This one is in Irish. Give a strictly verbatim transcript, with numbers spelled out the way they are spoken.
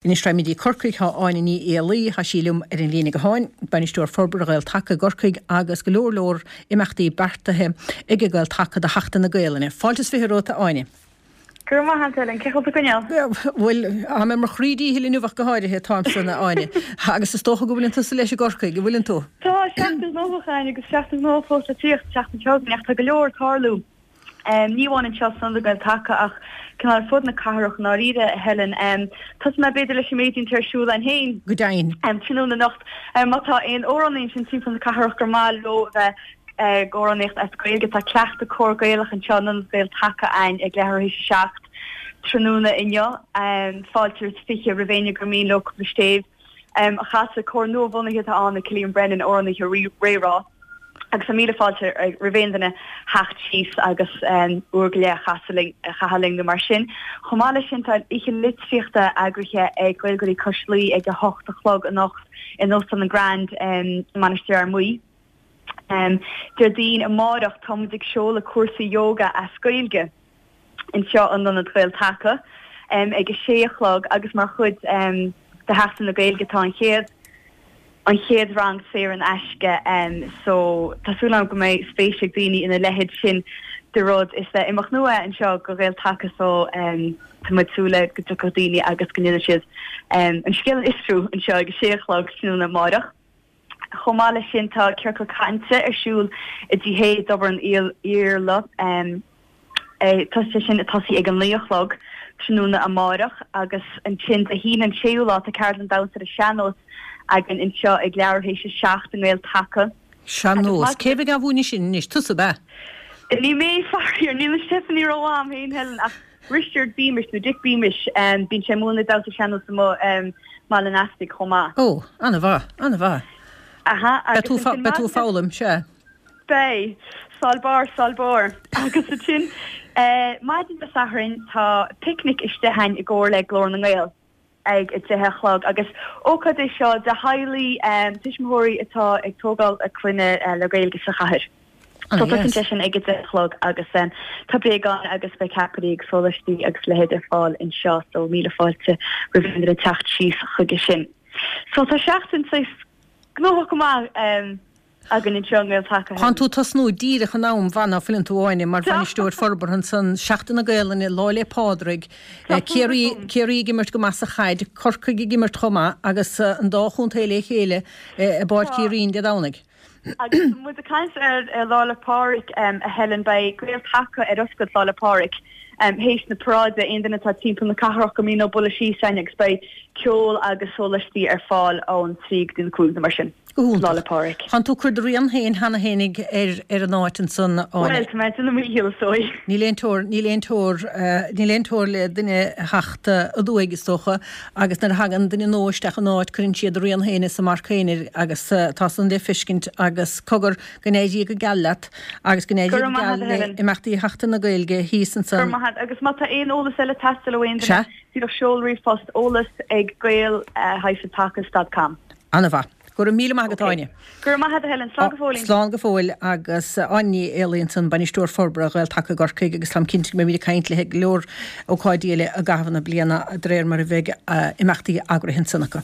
Anois raghaimid go dtí Corcaigh, tá Áine Ní Éalaí, tá sí liom ar an líne gutháin, Bainisteoir Forbartha Ghael Taca i gCorcaigh agus go leor leor imeachtaí beartaithe ag Gael Taca do Sheachtain na Gaelainne. Fáilte is fiche romhat a Áine. Go raibh maith agat Helen, cén chaoi a bhfuil tú ag coinneáil? Bhuel, tá mé ar mo chroí díchill inniu ach go háirithe, táimse a Áine. Agus is dócha go bhfuileann tusa leis i gCorcaigh, an bhfuileann tú? Tá, seachtain ghnóthach againn agus seachtain ghnóthach fós le tíocht, seachtain seo chugainn ach tá go leor ag tarlú. Ní amháin anseo san Ionad Gael Taca ach cineál ar fud na cathrach i ndáiríre, a Helen. Tosóidh mé b'fhéidir leis an méid atá ar siúl againn féin. Go deimhin. Tráthnóna anocht, má tá aon amhránaí ansin timpeall na cathrach gur maith leo a bheith ag amhránaíocht as Gaeilge, tá cleachtadh cór Gaelach anseo in Ionad Gael Taca againn ag leathuair théis a seacht tráthnóna inniu. Fáilte is fiche roimh éinne gur mian leo cúpla stéibh a chasadh. Cór nua-bhunaithe atá ann ag Cillian Brennan, amhránaithe Ré-Rá. Agus tá míle fáilte roimh aon duine theacht síos agus uair go leith a chasadh linn, a chaitheamh linn nó mar sin. Chomh maith leis sin tá oíche litríochta eagraithe ag Gaeilgeoirí Cois Laoi ag a hocht a chlog anocht in Óstán an Grand i Mainistir Fhear Maí. Déardaoin amáireach tá muid ag seoladh cúrsa yoga as Gaeilge anseo in Ionad Ghael Taca ag a sé a chlog agus mar chuid de Sheachtain na Gaeilge tá an chéad an chéad rang saor in aisce so tá súil agam go mbeidh spéis ag daoine ina leithéid sin de rud. Is imeacht nua é anseo go Ghael Taca so tá muid ag súil le go dtiocfadh daoine agus go ndéanfaidh siad an scéal a fhiosrú anseo ag a sé a chlog tráthnóna amáireach. Chomh maith leis sin tá ciorcal cainte ar siúl i dTigh Hay i dTobar an Iarla. Tá sé sin ag tosaí ag a naoi a chlog tráthnóna amáireach agus ansin Dé hAoine an séú lá tá ceardlann damhsa ar an sean-nós againn anseo ag leathuair théis a seacht i nGael Taca. Sean-nós? Cé bheidh á mhúineadh sin anois? Tusa, ab ea? Ní mé, faraor, níl an Stephanie romham féin, Helen, ach Risteard Beamish nó Dick Beamish, bíonn sé ag múineadh damhsa sean-nós amuigh i mBaile an Easpaig chomh maith. Ó, an-mhaith, an-mhaith. Aha, agus ansin Beidh tú ag foghlaim, sea. Beidh. Sál barr, sál barr. Agus ansin, maidin Dé Sathairn, tá picnic istigh againn i gcomhar le Glór na nGael ag a deich a chlog agus ócáid é seo do theaghlaigh, tuismitheoirí atá ag tógáil a clainne le Gaeilge sa chathair. So tosaíonn sé sin ag a deich a chlog agus tá bréagáin agus beidh ceapairí agus sólaistí agus a leithéid ar fáil anseo so míle fáilte roimh aon duine teacht síos chuige sin. So tá seachtain saghas gnóthach go maith againn anseo i nGael Taca. Tánn tú ag tosnú díreach in am mhaith ná fuileann tú Áine, mar bhainisteoir forbartha ansan, Seachtain na Gaelainne, Lá 'le Pádraig, Ciarraí, Ciarraí ag imirt go maith sa chaid, Corcaigh ag imirt chomh maith agus an dá chontae le chéile i bPáirc Uí Rinn Dé Domhnaigh. Agus muid ag caint ar Lá 'le Pádraig, a Helen, beidh Gael Taca ar oscailt Lá 'le Pádraig théis na paráide, aon duine atá timpeall na cathrach gur mian leo bualadh síos againn agus beidh ceol agus sólaistí ar fáil ón trí go dtí na cúig nó mar sin. Go hiontach. Lá 'le Pádraig. Tánn tú ag cur do rian féin cheana fhéinig ar ar an áit ansan, Áine. Bhuel, tá mé ag déanamh mo dhícheall, is dóigh. Níl aon teor, níl aon teor, níl aon teor le duine a theacht aduaidh, is dócha, agus nuair a thagann duine nua isteach in áit, cuireann siad a rian féin is a marc féin air agus tá san le feiscint agus cogar, go n-éirí go geal leat agus go n-éirí Go go raibh maith geal agat, a le Helen. imeachtaí Sheachtain na Gaeilge thíos Go raibh ansan. maith agat. Agus má tá aon eolas eile ag teastáil ó aon duine, Sea. díreach seol ríomhphost eolas ag gael hyphen taca dot com. Ana-mhaith. Go raibh míle maith agat, Ok. Áine. Go raibh maith agat, a Helen. Slán go fóillín. Slán go fóill agus Áine Ní Éalaí ansan, Bainisteoir Forbartha Ghael Taca i gCorcaigh agus táim cinnte go mbeimid ag caint léi ag go leor ócáidí eile i gcaitheamh na bliana de réir mar a bheidh imeachtaí eagraithe ansan acu.